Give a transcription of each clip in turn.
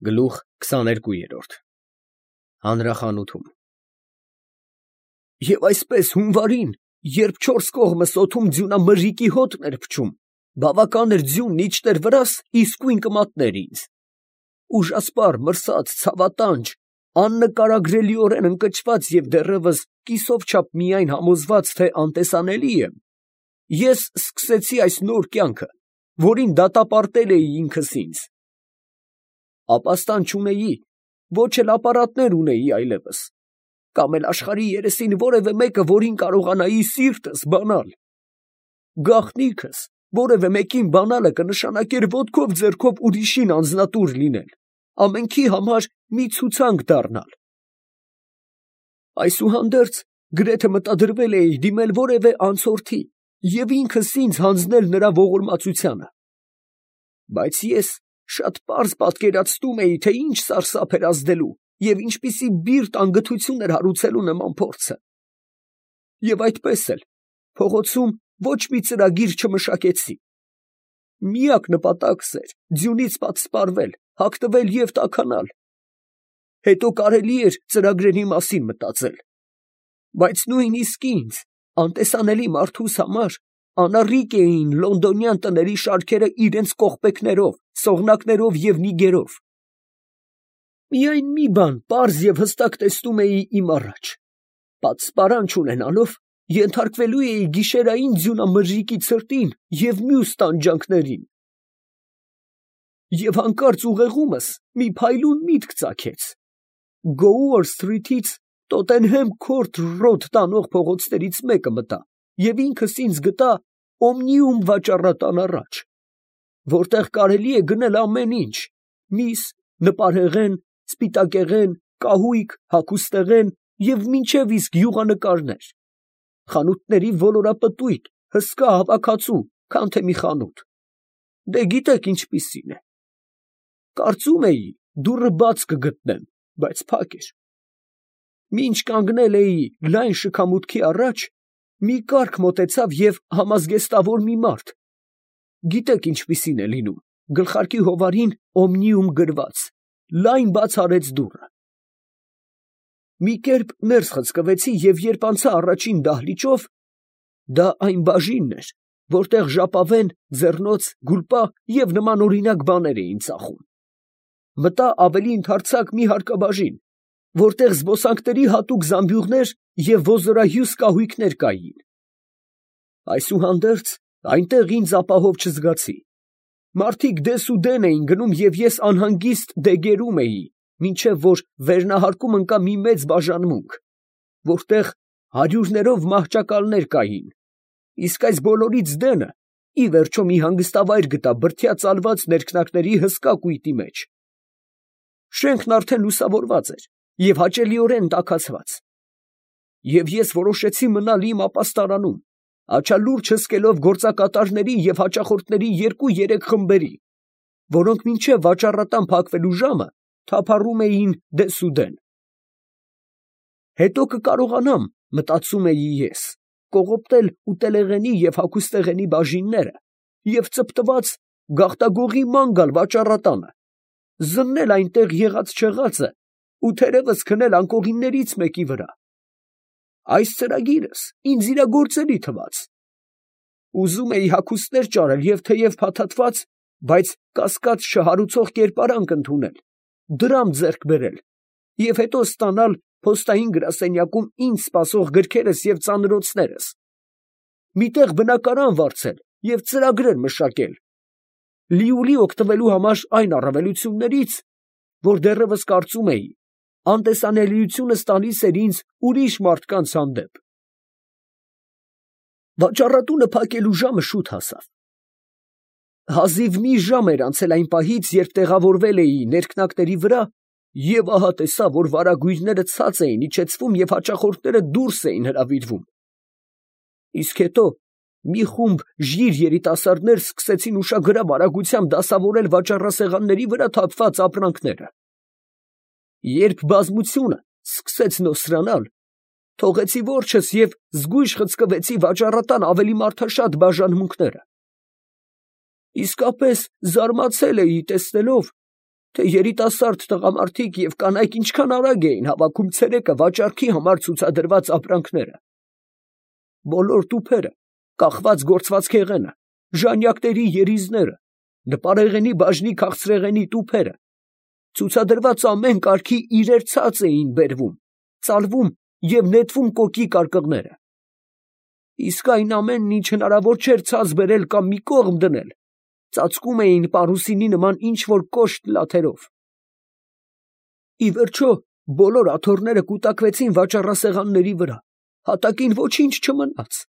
Գլուխ 22 Հանրախանութում Եվ այսպես հունվարին, երբ չորս կողմս օդում ձյունամրրիկի հոտն էր փչում, բավական էր ձյունն իջներ վրաս, իսկույն կմատներ ինձ. ուժասպառ, մրսած, ցավատանջ, աննկարագրելիորեն ընկճված և դեռևս կիսով չափ միայն համոզված, թե անտեսանելի եմ, ես սկսեցի այս նոր կյանքը, որին դատապարտել էի ինքս ինձ. ապաստան չունեի, ոչ էլ ապարատներ ունեի այլևս, կամ էլ աշխարհի երեսին որևէ մեկը, որին կարողանայի սիրտս բանալ. գաղտնիքս որևէ մեկին բանալը կնշանակեր ոտքով ձեռքով ուրիշին անձնատուր լինել, ամենքի համար մի ցուցանք դառնալ. այսուհանդերձ գրեթե մտադրվել էի դիմել որևէ անցորդի և ինքս ինձ հանձնել նրա ողորմածությանը, բայց ես շատ պարզ պատկերացնում էի, թե ինչ սարսափ էր ազդելու և ինչպիսի բիրտ անգթություն էր հարուցելու նման փորձը, և այդպես էլ փողոցում ոչ մի ծրագիր չմշակեցի. միակ նպատակս էր ձյունից պատսպարվել, հագնվել և տաքանալ, հետո կարելի էր ծրագրերի մասին մտածել, բայց նույնիսկ ինձ, անտեսանելի մարդուս համար, անառիկ էին լոնդոնյան տների շարքերը իրենց կողպեքներով, սողնակներով և նիգերով. միայն մի բան պարզ և հստակ տեսնում էի իմ առաջ. պատսպարան չունենալով, ենթարկվելու էի գիշերային ձյունամրրիկի ցրտին և մյուս տանջանքներին. և հանկարծ ուղեղումս մի փայլուն միտք ծագեց. Գոուր սթրիթից Տոտենհեմ Քորթ Ռոդ տանող փողոցներից մեկը մտա և ինքս ինձ գտա Օմնիում վաճառատան առաջ, որտեղ կարելի է գնել ամեն ինչ. միս, նպարեղեն, սպիտակեղեն, կահույք, հագուստեղեն և մինչև իսկ յուղանկարներ, խանութների ոլորապտույտ, հսկա հավաքածու, քան թե մի խանութ. դե գիտեք ինչպիսին է. կարծում էի դուռը բաց կգտնեմ, բայց փակ էր. մինչ կանգնել էի լայն շքամուտքի առաջ, մի կառք մոտեցավ և համազգեստավոր մի մարդ, գիտեք ինչպիսին է լինում, գլխարկի հովարին Օմնիում գրված, լայն բաց արեց դուռը. մի կերպ ներս խցկվեցի և երբ անցա առաջին դահլիճով, դա այն բաժինն էր, որտեղ ժապավեն, ձեռնոց, գուլպա և նմանօրինակ բաներ էին ծախում, մտա ավելի ընդարձակ մի հարկաբաժին, որտեղ զբոսանքների հատուկ զամբյուղներ և ոզորահյուս կահույքներ կային. այսուհանդերձ այնտեղ ինձ ապահով չզգացի. մարդիկ դեսուդեն էին գնում և ես անհանգիստ դեգերում էի, մինչև որ վերնահարկում ընկա մի մեծ բաժանմունք, որտեղ հարյուրներով մահճակալներ կային, իսկ այս բոլորից դենը ի վերջո մի հանգստավայր գտա բրդյա ծալված ներքնակների հսկա կույտի մեջ. շենքն արդեն լուսավորված էր և հաճելիորեն տաքացված, և ես որոշեցի մնալ իմ ապաստարանում, աչալուրջ հսկելով գործակատարների և հաճախորդների 2-3 խմբերի, որոնք մինչև վաճառատան փակվելու ժամը թափառում էին դեսուդեն. հետո կկարողանամ, մտածում էի ես, կողոպտել ուտելեղենի և հագուստեղենի բաժինները և ծպտված գաղտագողի ման գալ վաճառատանը, զննել այնտեղ եղած֊չեղածը ու թերևս քնել անկողիններից մեկի վրա. այս ծրագիրս ինձ իրագործելի թվաց. ուզում էի հագուստներ ճարել և թեև փաթաթված, բայց կասկած չհարուցող կերպարանք ընդունել, դրամ ձեռք բերել և հետո ստանալ փոստային գրասենյակում ինձ սպասող գրքերս և ծանրոցներս, մի տեղ բնակարան վարձել և ծրագրեր մշակել, լիուլի օգտվելու համար այն առավելություններից, որ դեռևս կարծում էի, անտեսանելիությունս տալիս էր ինձ ուրիշ մարդկանց հանդեպ. վաճառատունը փակելու ժամը շուտ հասավ. հազիվ մի ժամ էր անցել այն պահից, երբ տեղավորվել էի ներքնակների վրա, և ահա տեսա, որ վարագույրները ցած էին իջեցվում և հաճախորդները դուրս էին հրավիրվում, իսկ հետո մի խումբ ժիր երիտասարդներ սկսեցին ուշագրավ արագությամբ դասավորել վաճառասեղանների վրա թափված ապրանքները. երբ բազմությունը սկսեց նոսրանալ, թողեցի որջս և զգույշ խցկվեցի վաճառատան ավելի մարդաշատ բաժանմունքները. իսկապես զարմացել էի տեսնելով, թե երիտասարդ տղամարդիկ և կանայք ինչքան արագ էին հավաքում ցերեկը վաճառքի համար ցուցադրված ապրանքները։ Բոլոր տուփերը, կախված գործվածքեղենը, ժանյակների երիզները, նպարեղենի բաժնի քաղցրեղենի տուփերը, ցուցադրված ամեն կարգի իրեր ցած էին բերվում, ծալվում և նետվում կոկի կարկղները։ Իսկ այն ամենն, ինչ հնարավոր չէր ցած բերել կամ մի կողմ դնել, ծածկում էին պարուսինի նման ինչ-որ կոշտ լաթերով։ Ի վերջո, բոլոր աթոռները կուտակվեցին վաճառասեղանների վրա, հատակին ոչինչ չմնաց։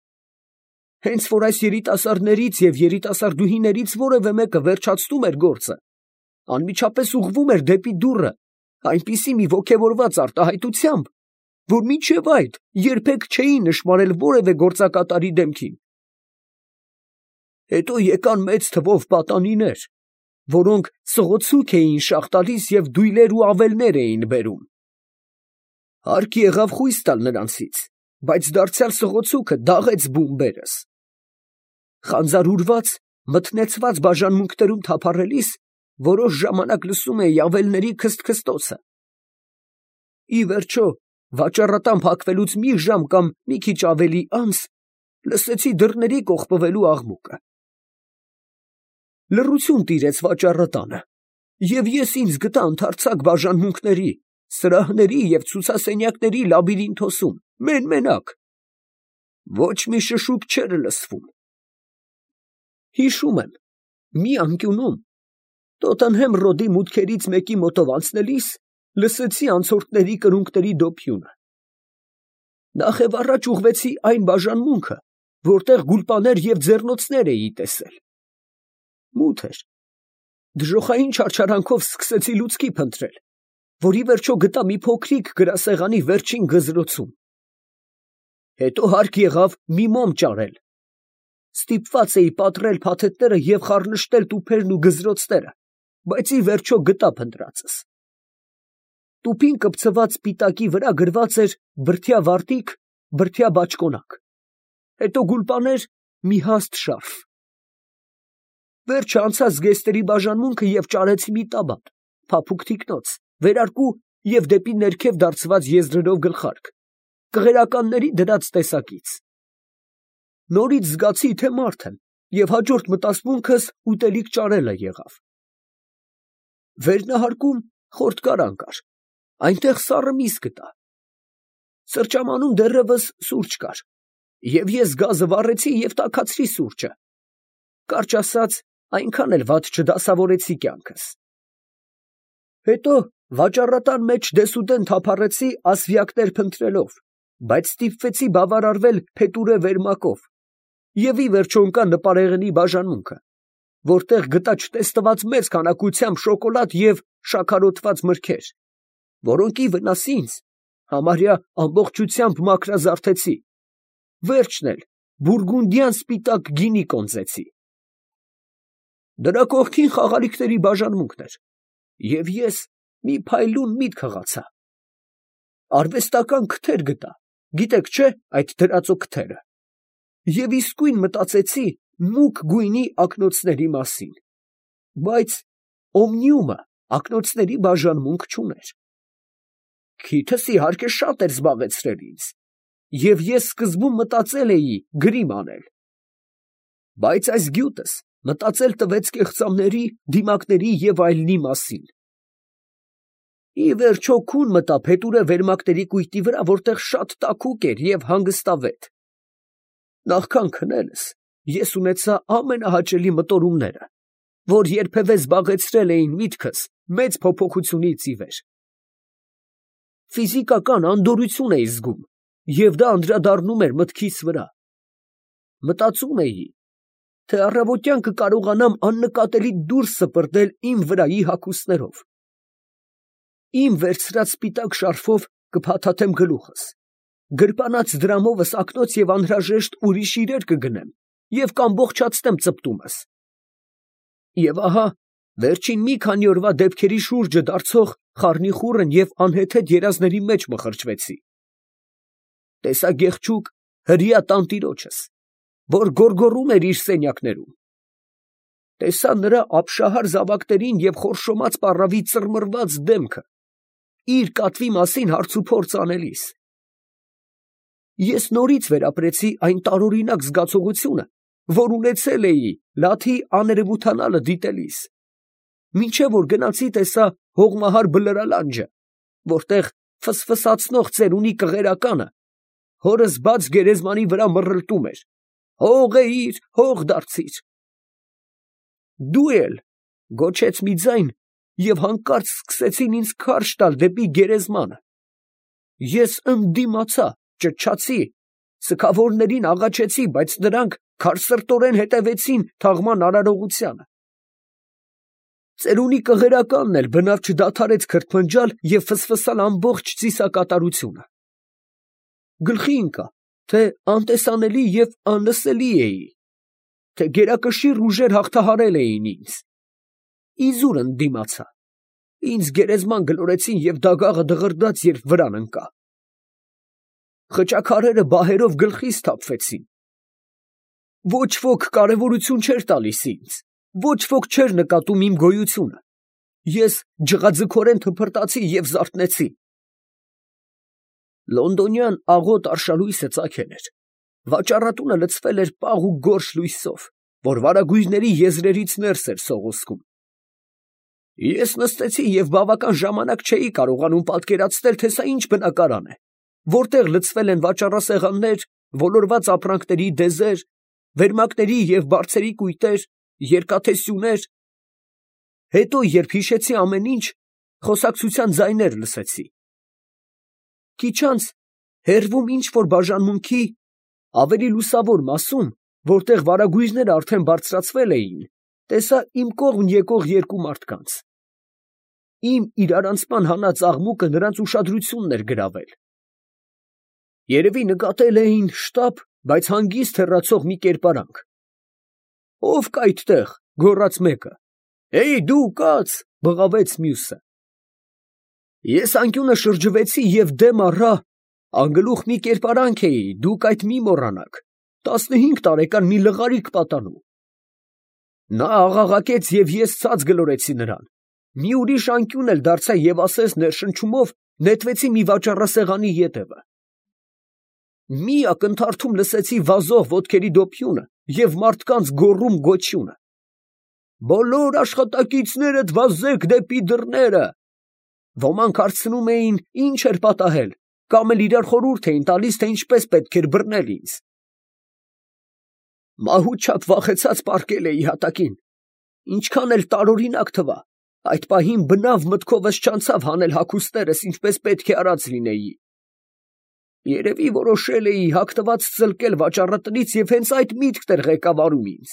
Հենց որ այս երիտասարդներից և երիտասարդուհիներից որևէ մեկը վերջացնում էր գործը, անմիջապես ուղղվում էր դեպի դուռը այնպիսի մի ոգևորված արտահայտությամբ, որ մինչև այդ երբեք չէի նշմարել որևէ գործակատարի դեմքին։ Հետո եկան մեծ թվով պատանիներ, որոնք սղոցուկ էին շաղ տալիս և դույլեր ու ավելներ էին բերում։ Հարկ եղավ խույս տալ նրանցից, բայց դարձյալ սղոցուկը դաղեց բումբերս։ Խանձարուրված, մթնեցված բաժանմունքներում թափառելիս, որոշ ժամանակ լսում էի ավելների քսթքստոցը։ Ի վերջո, վաճառատան փակվելուց մի ժամ կամ մի քիչ ավելի անց, լսեցի դռների կողպվելու աղմուկը։ Լռություն տիրեց վաճառատանը, և ես ինձ գտա ընդարձակ բաժանմունքների, սրահների և ցուցասենյակների լաբիրինթոսում, մեն֊մենակ։ Ոչ մի շշուկ չէր լսվում։ Հիշում եմ, մի անկյունում, Տոտենհեմ ռոդի մուտքերից մեկի մոտով անցնելիս, լսեցի անցորդների կրունկների դոփյունը։ Նախևառաջ ուղղվեցի այն բաժանմունքը, որտեղ գուլպաներ և ձեռնոցներ էի տեսել։ Մութ էր։ Դժոխային չարչարանքով սկսեցի լուցկի փնտրել, որ ի վերջո գտա մի փոքրիկ գրասեղանի վերջին գզրոցում։ Հետո հարկ եղավ մի մոմ ճարել։ Ստիպված էի պատռել փաթեթները և խառնշտել տուփերն ու գզրոցները, բայց ի վերջո գտա փնտրածս։ Տուփին կպցված սպիտակի վրա գրված էր բրդյա վարտիք, բրդյա բաճկոնակ, հետո գուլպաներ, մի հաստ շարֆ։ Վերջը անցա զգեստերի բաժանմունքը և ճարեցի մի տաբատ, փափուկ թիկնոց, վերարկու և դեպի ներքև դարձված եզրերով գլխարկ, կղերականների դրած տեսակից։ Նորից զգացի, թե մարդ եմ, և հաջորդ մտասմունքս ուտելիք ճարելը եղավ։ Վերնահարկում խորտկարան կար, այնտեղ սառը միս գտա։ Սրճամանում դեռևս սուրճ կար, և ես գազը վառեցի և տաքացրի սուրճը։ Կարճ ասած, այնքան էլ վատ չդասավորեցի կյանքս։ Հետո վաճառատան մեջ դեսուդեն թափառեցի ասվյակներ փնտրելով, բայց ստիպվեցի բավարարվել փետուրե վերմակով և ի վերջո ընկա նպարեղենի բաժանմունքը, որտեղ գտա չտեսնված մեծ քանակությամբ շոկոլադ և շաքարոտված մրգեր, որոնք ի վնաս ինձ համարյա ամբողջությամբ մաքրազարդեցի, վերջն էլ բուրգունդյան սպիտակ գինի կոնծեցի։ Դրա կողքին խաղալիքների բաժանմունքն էր, և ես մի փայլուն միտք հղացա։ Արվեստական քթեր գտա, գիտեք չէ՞ այդ դրածո քթերը, և իսկույն մտածեցի մուգ գույնի ակնոցների մասին, բայց օմնիումը ակնոցների բաժանմունք չուներ։ Քիթս իհարկե շատ էր զբաղեցրել ինձ, և ես սկզբում մտածել էի գրիմ անել, բայց այս գյուտս մտածել տվեց կեղծամների, դիմակների և այլնի մասին։ Ի վերջո քուն մտա փետուրե վերմակների կույտի վրա, որտեղ շատ տաքուկ էր և հանգստավետ։ Նախքան քնելս ես ունեցա ամենահաճելի մտորումները, որ երբևէ զբաղեցրել էին միտքս մեծ փոփոխությունից ի վեր։ Ֆիզիկական անդորրություն էի զգում, և դա անդրադառնում էր մտքիս վրա։ Մտածում էի, թե առավոտյան կկարողանամ աննկատելի դուրս սպրտել իմ վրայի հագուստներով։ Իմ վերցրած սպիտակ շարֆով կփաթաթեմ գլուխս, գրպանած դրամովս ակնոց և անհրաժեշտ ուրիշ իրեր կգնեմ և կամբողջացնեմ ծպտումս։ Եվ ահա վերջին մի քանի օրվա դեպքերի շուրջը դարձող խառնիխուռն և անհեթեթ երազների մեջ մխրճվեցի։ Տեսա գեղեցիկ հրեա տանտիրոջս, որ գոռգոռում էր իր սենյակներում։ տեսա նրա ապշահար զավակներին և խորշոմած պառավի ծռմռված դեմքը, իր կատվի մասին հարցուփորձ անելիս։ Ես նորից վերապրեցի այն տարօրինակ զգացողությունը, որ ունեցել էի Լաթի աներևութանալը դիտելիս, մինչև որ գնացի տեսա հողմահար Բլրալանջը, որտեղ ֆսֆսացնող ծերունի կղերականը հորս բաց գերեզմանի վրա մռլտում էր. «Հող էիր, հող դարձիր»։ «Դու էլ», գոչեց մի ձայն, և հանկարծ սկսեցին ինձ քարշ տալ դեպի գերեզմանը։ Ես ընդդիմացա, ճչացի, սգավորներին աղաչեցի, բայց նրանք քարսրտորեն հետևեցին թաղման արարողությանը։ Ծերունի կղերականն էլ բնավ չդադարեց քրթմնջալ և ֆսֆսալ ամբողջ ծիսակատարությունը։ Գլխի ընկա, թե անտեսանելի և անլսելի էի, թե գերակշիռ ուժեր հաղթահարել էին ինձ։ Իզուր ընդդիմացա, ինձ գերեզման գլորեցին և դագաղը դղրդաց, երբ վրան ընկա։ Խճաքարերը բահերով գլխիս թափվեցին։ Ոչ ոք կարևորություն չէր տալիս ինձ, ոչ ոք չէր նկատում իմ գոյությունը։ Ես ջղաձգորեն թփրտացի և զարթնեցի։ Լոնդոնյան աղոտ արշալույսը ծագել էր, վաճառատունը լցվել էր պաղ ու գորշ լույսով, որ վարագույրների եզրերից ներս էր սողոսկում։ Ես նստեցի և բավական ժամանակ չէի կարողանում պատկերացնել, թե սա ինչ բնակարան է, որտեղ լցվել են վաճառասեղաններ, ոլորված ապրանքների դեզեր, վերմակների և բարձերի կույտեր, երկաթե սյուներ։ Հետո, երբ հիշեցի ամեն ինչ, խոսակցության ձայներ լսեցի։ Քիչ անց հեռվում ինչ֊որ բաժանմունքի ավելի լուսավոր մասում, որտեղ վարագույրները արդեն բարձրացվել էին, տեսա իմ կողմ եկող երկու մարդկանց։ Իմ իրարանցման հանած աղմուկը նրանց ուշադրությունն էր գրավել։ Երևի նկատել էին շտապ, բայց հանգիստ հեռացող մի կերպարանք։ «Ո՞վ կա այդտեղ», գոռաց մեկը։ «Էյ, դու կաց», բղավեց մյուսը։ Ես անկյունը շրջվեցի և դեմ առա, անգլուխ մի կերպարանք էի, դուք այդ մի մոռանաք, 15 տարեկան մի լղարիկ պատանու։ Նա աղաղակեց և ես ցած գլորեցի նրան։ Մի ուրիշ անկյուն էլ դարձա և ասես ներշնչումով նետվեցի մի վաճառասեղանի ետևը։ Մի ակնթարթում լսեցի վազող ոտքերի դոփյունը և մարդկանց գոռում֊գոչյունը։ «Բոլոր աշխատակիցներդ վազեք դեպի դռները»։ Ոմանք հարցնում էին, ինչ էր պատահել, կամ էլ իրար խորհուրդ էին տալիս, թե ինչպես պետք էր բռնել ինձ։ Մահուց չափ վախեցած պառկել էի հատակին։ Ինչքան էլ տարօրինակ թվա, այդ պահին բնավ մտքովս չանցավ հանել հագուստներս, ինչպես պետք է արած լինեի։ Երևի որոշել էի հագնված ծլկել վաճառատնից և հենց այդ միտքն էր ղեկավարում ինձ։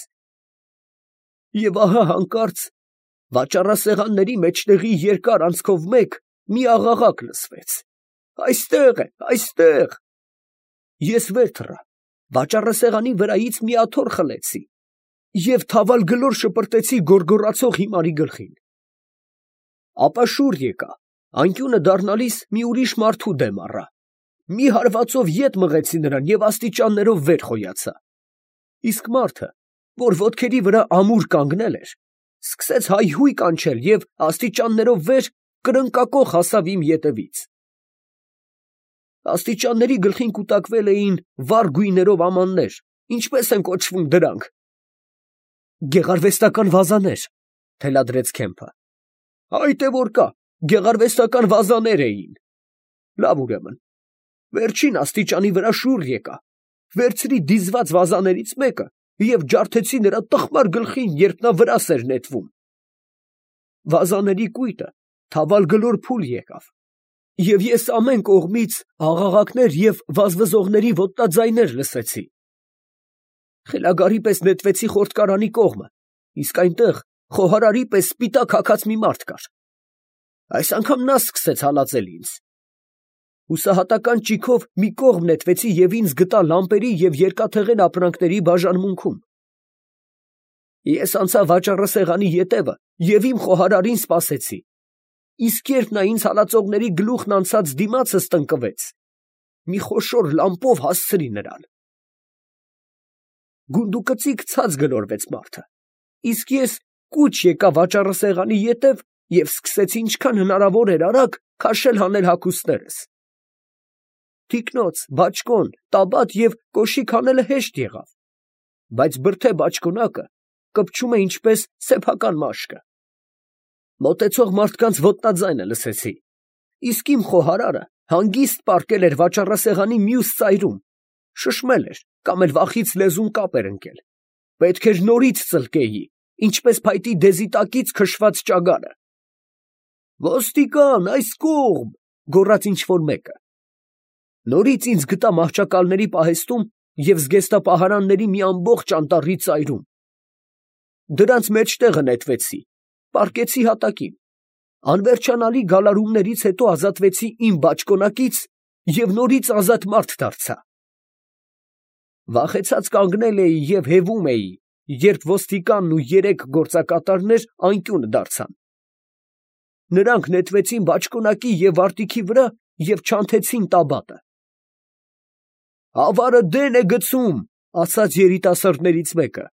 Եվ ահա հանկարծ վաճառասեղանների մեջտեղի երկար անցքով մեկ մի աղաղակ լսվեց. «Այստեղ է, այստեղ»։ Ես վեր թռա, վաճառասեղանի վրայից մի աթոռ խլեցի և թավալ գլոր շպրտեցի գոռգոռացող հիմարի գլխին։ Ապա շուռ եկա, անկյունը դառնալիս մի ուրիշ մարդու դեմ առա, մի հարվածով ետ մղեցի նրան և աստիճաններով վեր խոյացա։ Իսկ մարդը, որ ոտքերի վրա ամուր կանգնել էր, սկսեց հայհույն կանչել և աստիճաններով վեր կրնկակոխ հասավ իմ ետևից։ Աստիճանների գլխին կուտակվել էին վառ գույներով ամաններ, ինչպես են կոչվում դրանք։ Գեղարվեստական վազաներ, թելադրեց Քեմփը։ Այդ է որ կա, գեղարվեստական վազաներ էին։ Լավ, ուրեմն, վերջին աստիճանի վրա շուռ եկա, վերցրի դիզված վազաներից մեկը և ջարդեցի նրա տխմար գլխին, երբ նա վրաս էր նետվում։ Վազաների կույտը թավալ գլոր փուլ եկավ, և ես ամեն կողմից աղաղակներ և վազվզողների ոտնաձայներ լսեցի։ Խելագարի պես նետվեցի խորտկարանի կողմը, իսկ այնտեղ խոհարարի պես սպիտակ հագած մի մարդ կար։ Այս անգամ նա սկսեց հալածել ինձ։ Հուսահատական ճիգով մի կողմ նետվեցի և ինձ գտա լամպերի և երկաթեղեն ապրանքների բաժանմունքում։ Ես անցա վաճառասեղանի ետևը և իմ խոհարարին սպասեցի, իսկ երբ նա ինձ հալածողների գլուխն անցած դիմացս տնկվեց, մի խոշոր լամպով հասցրի նրան։ Գունդուկծիկ ցած գլորվեց մարդը, Իսկ ես կուչ եկա վաճառասեղանի ետև և սկսեցի ինչքան հնարավոր էր արագ քաշել հանել հագուստներս։ Թիկնոց, բաճկոն, տաբատ և կոշիկ հանելը հեշտ եղավ, բայց բրդե բաճկոնակը կպչում է ինչպես սեփական մաշկը։ Մոտեցող մարդկանց ոտնաձայնը լսեցի, իսկ իմ խոհարարը հանգիստ պառկել էր վաճառասեղանի մյուս ծայրում, շշմել էր կամ էլ վախից լեզուն կապ էր ընկել։ Պետք էր նորից ծլկեի, ինչպես փայտի դեզի տակից քշված ճագարը։ «Ոստիկան, այս կողմ», գոռաց ինչ֊որ մեկը։ Նորից ինձ գտա մահճակալների պահեստում և զգեստապահարանների մի ամբողջ անտառի ծայրում։ Դրանց մեջտեղը նետվեցի, պառկեցի հատակին, անվերջանալի գալարումներից հետո ազատվեցի իմ բաճկոնակից և նորից ազատ մարդ դարձա։ Վախեցած կանգնել էի և հևում էի, երբ ոստիկանն ու 3 գործակատարներ անկյուն դարձան։ Նրանք նետվեցին բաճկոնակի և վարտիքի վրա և չանթեցին տաբատը։ «Ավարը դեն է գցում», ասաց երիտասարդներից մեկը,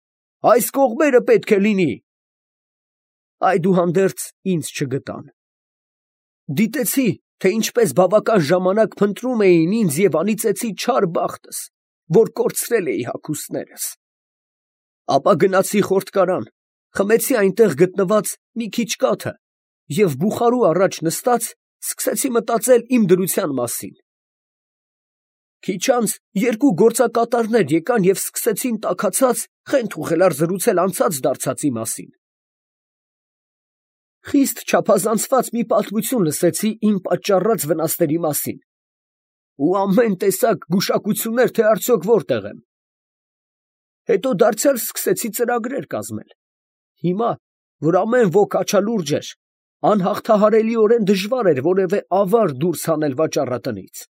«այս կողմերը պետք է լինի»։ Այդուհանդերձ ինձ չգտան։ Դիտեցի, թե ինչպես բավական ժամանակ փնտրում էին ինձ և անիծեցի չար բախտս, որ կորցրել էի հագուստներս։ Ապա գնացի խորտկարան, խմեցի այնտեղ գտնված մի քիչ կաթը և բուխարու առաջ նստած սկսեցի մտածել իմ դրության մասին։ Քիչ անց 2 գործակատարներ եկան և սկսեցին տաքացած խենթ-ուղղելար զրուցել անցած դարձածի մասին։ Խիստ չափազանցված մի պատմություն լսեցի իմ պատճառած վնասների մասին ու ամեն տեսակ գուշակություններ, թե արդյոք որտեղ եմ։ Հետո դարձյալ սկսեցի ծրագրեր կազմել։ Հիմա, որ ամեն ոք աչալուրջ էր, անհաղթահարելիորեն դժվար էր որևէ ավար դուրս հանել վաճառատնից։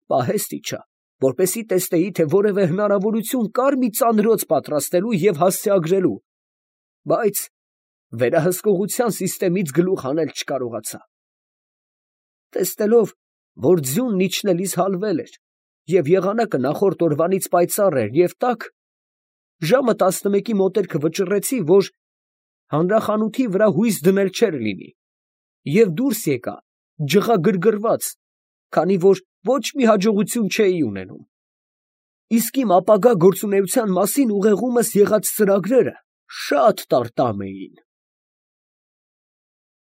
Պահեստ իջա, որպեսզի տեսնեի, թե որևէ հնարավորություն կար մի ծանրոց պատրաստելու և հասցեագրելու, բայց վերահսկողության սիստեմից գլուխ հանել չկարողացա։ Տեսնելով, որ ձյունն իջնելիս հալվել էր և եղանակը նախորդ օրվանից պայծառ էր և տաք, ժամը 11-ի մոտերքը վճռեցի, որ հանրախանութի վրա հույս դնել չէր լինի, և դուրս եկա ջղագրգռված, քանի որ ոչ մի հաջողություն չէի ունենում։ Իսկ իմ ապագա գործունեության մասին ուղեղումս եղած ծրագրերը շատ տարտամ էին։